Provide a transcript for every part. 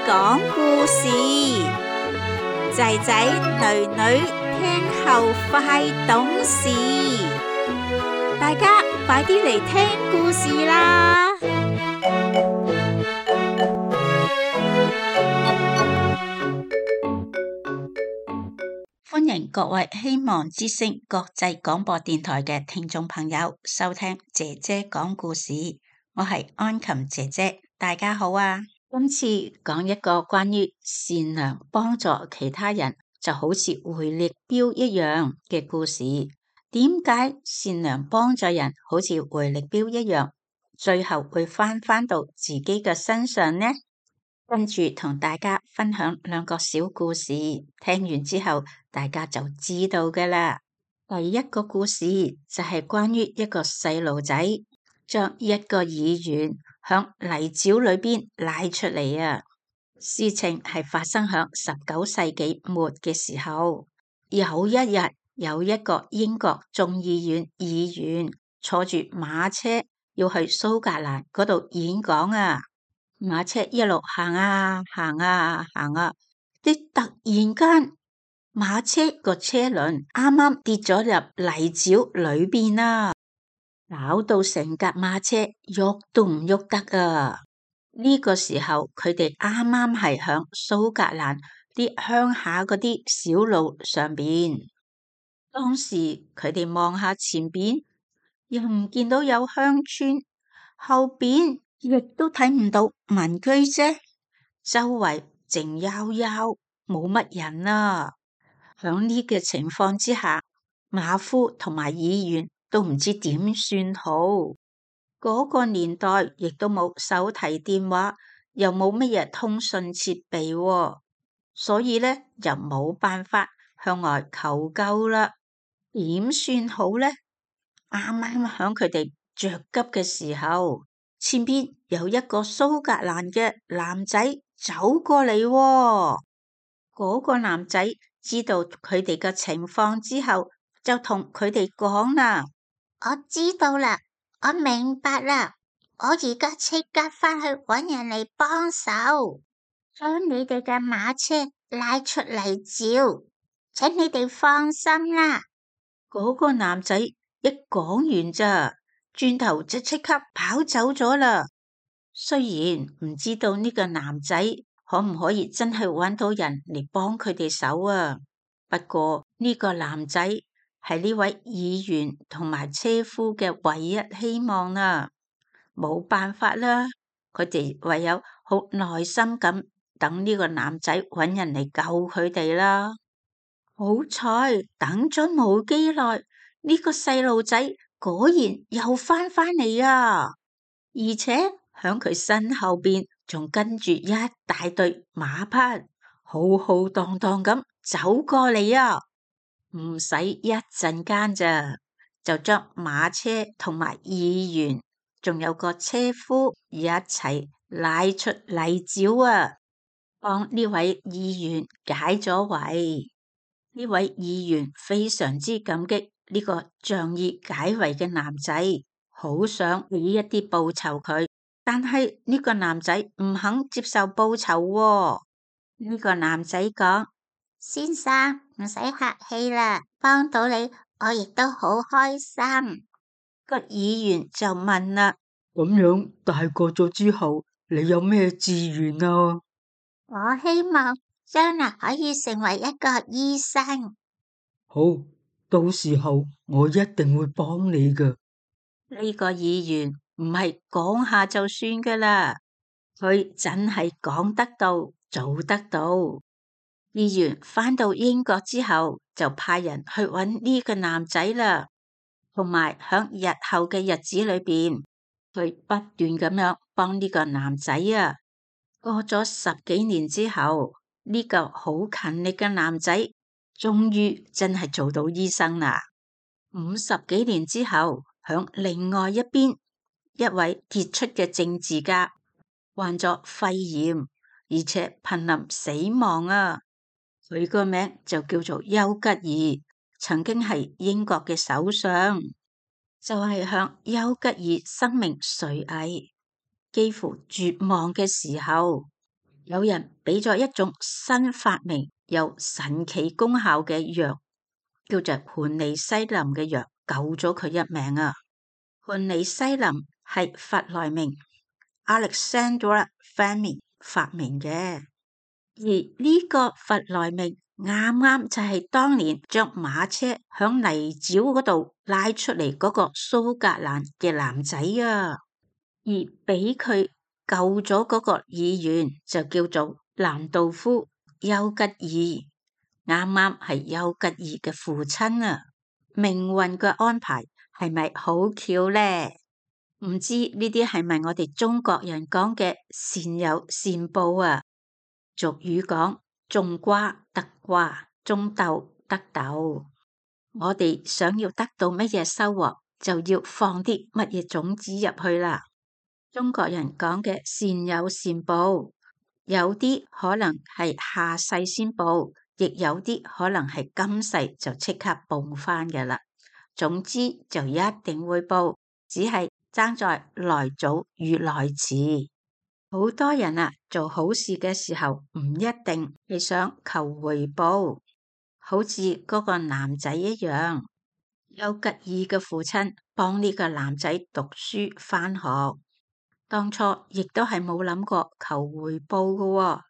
講故事，仔仔女女聽後快懂事，大家快啲嚟聽故事啦！歡迎各位希望之聲國際廣播電台嘅聽眾朋友收聽姐姐講故事，我係安琴姐姐，大家好啊！今次講一個關於善良幫助其他人就好似回力鏢一樣嘅故事。點解善良幫助人好似回力鏢一樣，最後會返到自己嘅身上呢？跟住同大家分享兩個小故事，聽完之後大家就知道㗎喇。第一個故事就係關於一個細路仔將一個議員響泥沼裏邊拉出嚟啊！事情係發生響19世紀末嘅時候，有一日有一個英國眾議院議員坐住馬車要去蘇格蘭嗰度演講啊！馬車一路行啊行啊行啊，突然間馬車個車輪啱啱跌咗入泥沼裏邊啊，搞到成架馬車喐都唔喐得啊！呢個時候佢哋啱啱係響蘇格蘭啲鄉下嗰啲小路上邊，當時佢哋望下前邊，又唔見到有鄉村，後邊亦都睇唔到民居啫，周圍靜悠悠，冇乜人啊！響呢個情況之下，馬夫同埋議員都唔知點算好。嗰個年代亦都冇手提電話，又冇乜嘢通訊設備喎，所以呢，就冇辦法向外求救啦。點算好呢？啱啱響佢哋着急嘅時候，前邊有一個蘇格蘭嘅男仔走過嚟喎。嗰個男仔知道佢哋嘅情況之後，就同佢哋講啦：我知道啦，我明白啦，我而家即刻返去搵人嚟幫手，將你哋嘅馬車拉出泥沼，請你哋放心啦。嗰個男仔一講完咋，轉頭就即刻跑走咗啦。雖然唔知道呢個男仔可唔可以真係搵到人嚟幫佢哋手啊，不過呢個男仔係呢位議員同埋車夫嘅唯一希望啦。冇辦法啦，佢哋唯有好耐心咁等呢個男仔搵人嚟救佢哋啦。好彩等咗冇幾耐，呢個細路仔果然又返嚟啊！而且響佢身後邊仲跟住一大隊馬匹，浩浩蕩蕩咁走過嚟啊！唔使一陣間咋，就將馬車同埋議員，仲有個車夫一齊拉出泥沼啊！幫呢位議員解咗圍。呢位議員非常之感激呢個仗義解圍嘅男仔，好想俾一啲報酬佢，但係呢個男仔唔肯接受報酬喎。呢個男仔講：先生，唔使客氣啦，幫到你我亦都好開心。個議員就問啦：咁樣大個咗之後，你有咩志願啊？我希望將來可以成為一個醫生。好，到時候我一定會幫你㗎。呢個議員唔係講下就算噶啦，佢真係講得到做得到。議員返到英國之後，就派人去搵呢個男仔啦，同埋響日後嘅日子裏邊，佢不斷咁樣幫呢個男仔啊。過咗10幾年之後，呢個好勤力嘅男仔終於真係做到醫生啦。50幾年之後，響另外一邊，一位傑出嘅政治家患咗肺炎，而且瀕臨死亡啊。佢個名就叫做丘吉爾，曾經係英國嘅首相。就係響丘吉爾生命垂危，幾乎絕望嘅時候，有人俾咗一種新發明有神奇功效嘅藥，叫做盤尼西林嘅藥，救咗佢一命啊！盤尼西林係弗萊明 Alexander Fleming 發明嘅，而呢個弗萊明啱啱就係當年將馬車響泥沼嗰度拉出嚟嗰個蘇格蘭嘅男仔啊，而俾佢救咗嗰個議員就叫做蘭道夫丘吉爾，啱啱係丘吉爾嘅父親啊！命運嘅安排係咪好巧呢？唔知呢啲係咪我哋中國人講嘅善有善報啊？俗語講種瓜得瓜，種豆得豆。我哋想要得到乜嘢收穫，就要放啲乜嘢種子入去啦。中國人講嘅善有善報，有啲可能係下世先報，亦有啲可能係今世就即刻報返嘅啦。總之就一定會報，只係爭在來早與來遲。好多人啊，做好事嘅時候唔一定係想求回報，好似嗰個男仔一樣，丘吉爾嘅父親幫呢個男仔讀書返學，當初亦都係冇諗過求回報嘅喎，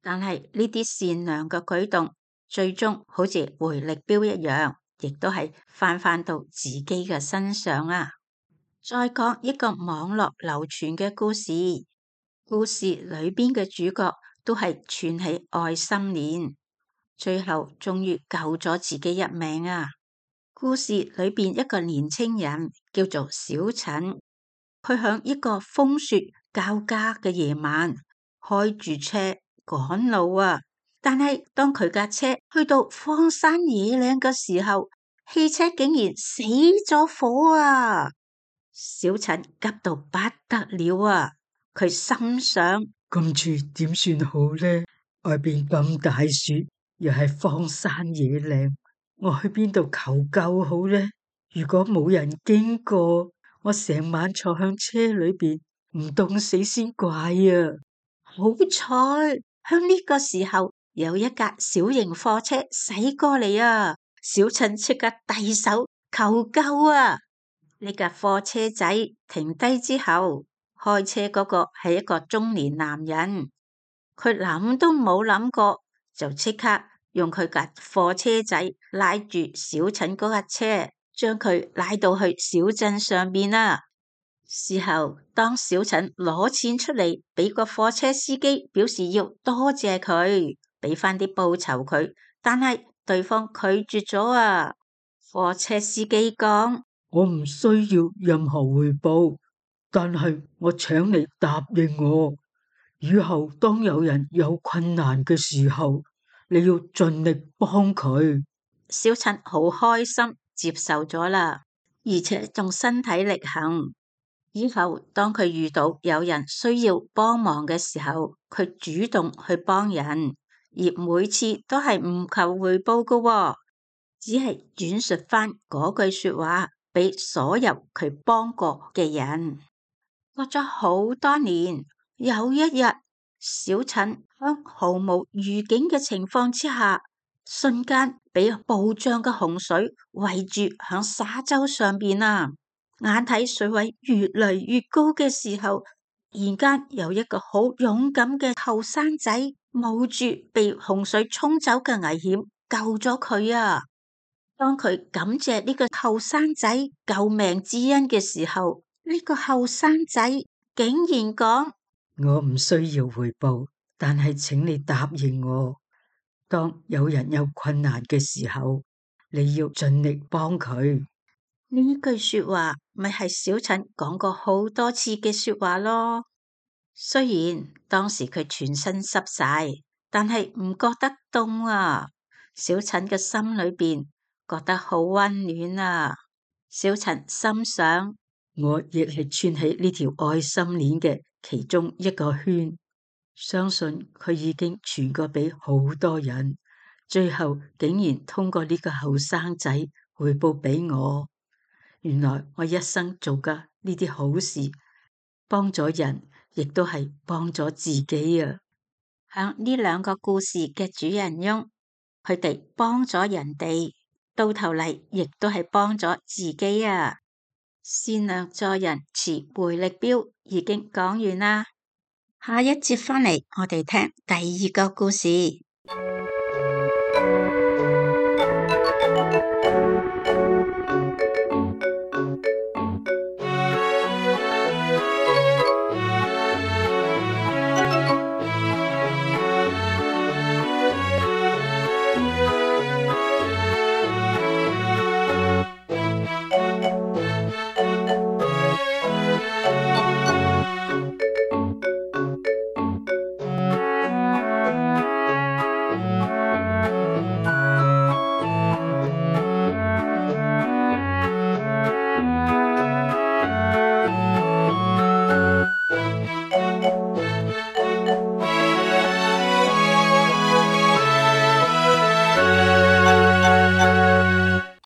但係呢啲善良嘅舉動，最終好似回力鏢一樣，亦都係返到自己嘅身上啊！再講一個網絡流傳嘅故事，故事裏邊嘅主角都係串起愛心鏈，最後終於救咗自己一命啊！故事裏邊一個年青人叫做小陳，佢響一個風雪交加嘅夜晚開住車趕路啊！但係當佢架車去到荒山野嶺嘅時候，汽車竟然死咗火啊！小陳急到不得了啊！佢心想：今次點算好呢？外邊咁大雪，又係荒山野嶺，我去邊度求救好呢？如果冇人經過，我成晚坐響車裏邊，唔凍死先怪啊！好彩，響呢個時候有一架小型貨車駛過嚟啊！小陳即刻遞手求救啊！呢架貨車仔停低之後，開車嗰個係一個中年男人，佢諗都冇諗過，就即刻用佢架貨車仔拉住小陳嗰架車，將佢拉到去小鎮上邊啦。事後，當小陳攞錢出嚟俾個貨車司機，表示要多謝佢，俾翻啲報酬佢，但係對方拒絕咗啊！貨車司機講：我唔需要任何回報，但係我請你答應我，以後當有人有困難嘅時候，你要盡力幫佢。小陳好開心接受咗啦，而且仲身體力行。以後當佢遇到有人需要幫忙嘅時候，佢主動去幫人，而每次都係唔求回報㗎喎，只係轉述翻嗰句說話俾所有佢幫過嘅人。過咗好多年，有一日，小陳喺毫無預警嘅情況之下，瞬間俾暴漲嘅洪水圍住響沙洲上邊啊！眼睇水位越嚟越高嘅時候，突然間有一個好勇敢嘅後生仔冒住被洪水沖走嘅危險救咗佢啊！當佢感謝呢個後生仔救命之恩嘅時候，呢個後生仔竟然講：我唔需要回報，但係請你答應我，當有人有困難嘅時候，你要盡力幫佢。呢句說話咪係小陳講過好多次嘅說話咯。雖然當時佢全身濕晒，但係唔覺得凍啊。小陳嘅心裏邊覺得好溫暖啊。小陳心想：我亦係串起呢條愛心鏈嘅其中一個圈，相信佢已經傳過俾好多人，最後竟然通過呢個後生仔回報俾我。原來我一生做嘅呢啲好事，幫咗人，亦都係幫咗自己啊！響呢兩個故事嘅主人翁，佢哋幫咗人哋，到頭嚟亦都係幫咗自己啊！善良助人，持回力鏢已經講完啦。下一節返嚟，我哋聽第二個故事。